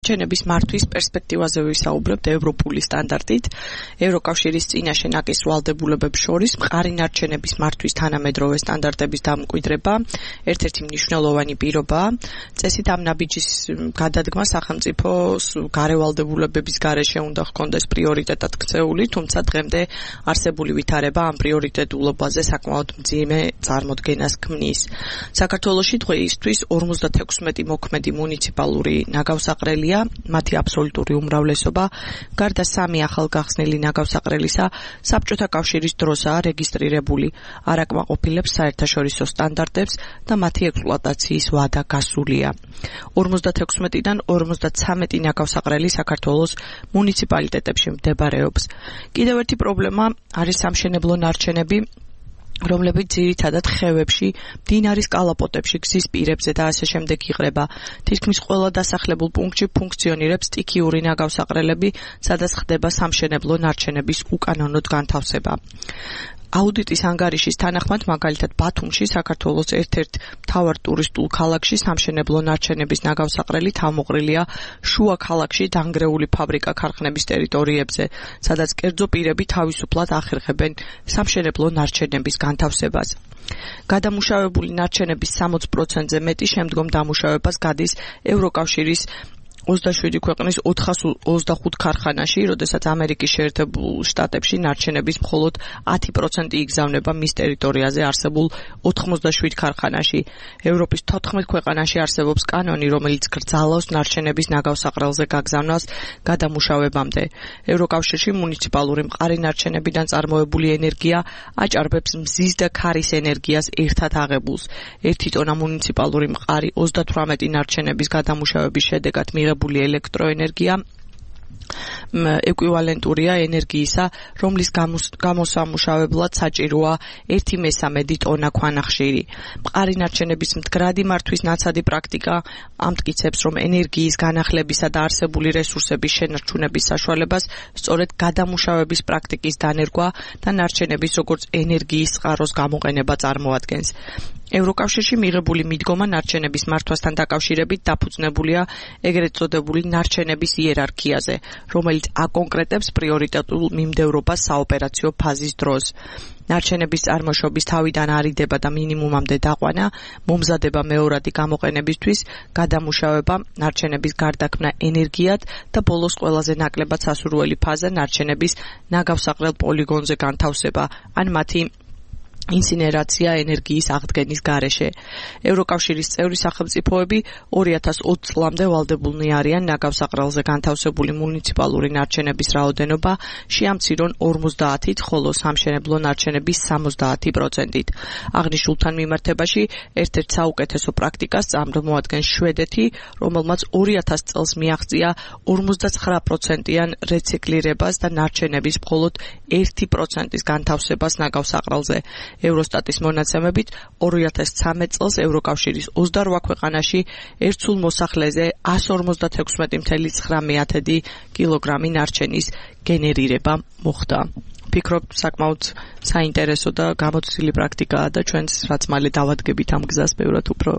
ნარჩენების მართვის პერსპექტივაზე ვისაუბრებთ ევროპული სტანდარტით. ევროკავშირის წინაშე ნაკის ვალდებულებებს შორის მყარი ნარჩენების მართვის თანამედროვე სტანდარტების დამკვიდრება ერთ-ერთი მნიშვნელოვანი პირობაა. წესით ამ ნაბიჯის გადადგმა სახელმწიფოს გარევალდებულებების გარეშე უნდა ჰქონდეს პრიორიტეტად ქცეული, თუმცა დღემდე არსებული ვითარება ამ პრიორიტეტულობაზე საკმაოდ მძიმე წარმოდგენას ქმნის. საქართველოში დღეისთვის 56 მოქმედი მუნიციპალური ნაგავსაყრელია, მათი აბსოლუტური უმრავლესობა გარდა 3 ახალგახსნილი ნაგავსაყრელისა საბჭოთა კავშირის დროსაა რეგისტრირებული, არ აკმაყოფილებს საერთაშორისო სტანდარტებს და მათი ექსპლუატაციის ვადა გასულია. 56-დან 53 ნაგავსაყრელი საქართველოს მუნიციპალიტეტებში მდებარეობს. კიდევ ერთი პრობლემა არის სამშენებლო ნარჩენები, რომლებიც ძირითადად ხევებში, მდინარის კალაპოტებში, გზის პირებზე და ასე შემდეგ იღრება. თითქმის ყველა დასახლებულ პუნქტში ფუნქციონირებს სტიქიური ნაგავსაყრელები, სადაც ხდება სამშენებლო ნარჩენების უკანონოდ განთავსება. აუდიტის ანგარიშის თანახმად, მაგალითად ბათუმში, საქართველოს ერთ-ერთ მთავარ ტურისტულ ქალაქში სამშენებლო ნარჩენების ნაგავსაყრელი თავმოყრილია შუა ქალაქში დანგრეული ფაბრიკა-ქარხნების ტერიტორიებზე, სადაც კერძო პირები თავისუფლად ახერხებენ სამშენებლო ნარჩენების განთავსებას. გადამუშავებული ნარჩენების 60%-ზე მეტი შემდგომ დამუშავებას გადის ევროკავშირის 27 ქვეყნის 425 ქარხანაში, როდესაც ამერიკის შეერთებულ შტატებში ნარჩენების მხოლოდ 10% იგზავნება მის ტერიტორიაზე არსებულ 87 ქარხანაში. ევროპის 14 ქვეყანაში არსებობს კანონი, რომელიც გრძალავს ნარჩენების ნაგავსაყრელზე გაგზავნას გადამუშავებამდე. ევროკავშირში მუნიციპალური მყარი ნარჩენებიდან წარმოებული ენერგია აჭარბებს მზის და ქარის ენერგიას ერთად აღებულს. 1 ტონა მუნიციპალური მყარი 38 ნარჩენების გადამუშავების შედეგად მიღებული ელექტროენერგია ეკვივალენტურია ენერგიისა, რომლის გამოსამუშავებლად საჭიროა 1/3 ტონა ქვანახშირი. მყარი ნარჩენების მდგრადი მართვის ნაცადი პრაქტიკა ამტკიცებს, რომ ენერგიის განახლებისა და არსებული რესურსების შენარჩუნების საშუალებას სწორედ გადამუშავების პრაქტიკის დანერგვა და ნარჩენების როგორც ენერგიის წყაროს გამოყენება წარმოადგენს. ევროკავშირში მიღებული მიდგომა ნარჩენების მართვასთან დაკავშირებით დაფუძნებულია ეგრეთ წოდებული ნარჩენების იერარქიაზე, რომელიც აკონკრეტებს პრიორიტეტულ მიმდევრობას საოპერაციო ფაზის დროს. ნარჩენების წარმოშობის თავიდან არიდება და მინიმუმამდე დაყვანა, მომზადება მეორადი გამოყენებისთვის, გადამუშავება, ნარჩენების გარდაქმნა ენერგიად და ბოლოს ყველაზე ნაკლებად სასურველი ფაზა ნარჩენების ნაგავსაყრელ პოლიგონზე განთავსება, ან მათი ინსინერაცია ენერგიის აღდგენის გარეშე. ევროკავშირის წევრი სახელმწიფოები 2020 წლამდე ვალდებულნი არიან ნაგავსაყრელზე განთავსებული მუნიციპალური ნარჩენების რაოდენობა შეამცირონ 50-ით, ხოლო სამშენებლო ნარჩენების 70%-ით. აღნიშნულთან მიმართებაში ერთ-ერთ საუკეთესო პრაქტიკას წარმოადგენს შვედეთი, რომელმაც 2000 წელს მიაღწია 59%-იან რეციკლირებას და ნარჩენების მხოლოდ 1%-ის განთავსებას ნაგავსაყრელზე. ევროსტატის მონაცემებით 2013 წელს ევროკავშირის 28 ქვეყანაში ერთ სულ მოსახლეზე 156.9 კილოგრამი ნარჩენის გენერირება მოხდა. ვფიქრობ, საკმაოდ საინტერესო და გამოცდილი პრაქტიკაა და ჩვენც რაც მალე დავადგებით ამ გზას, ბევრად უფრო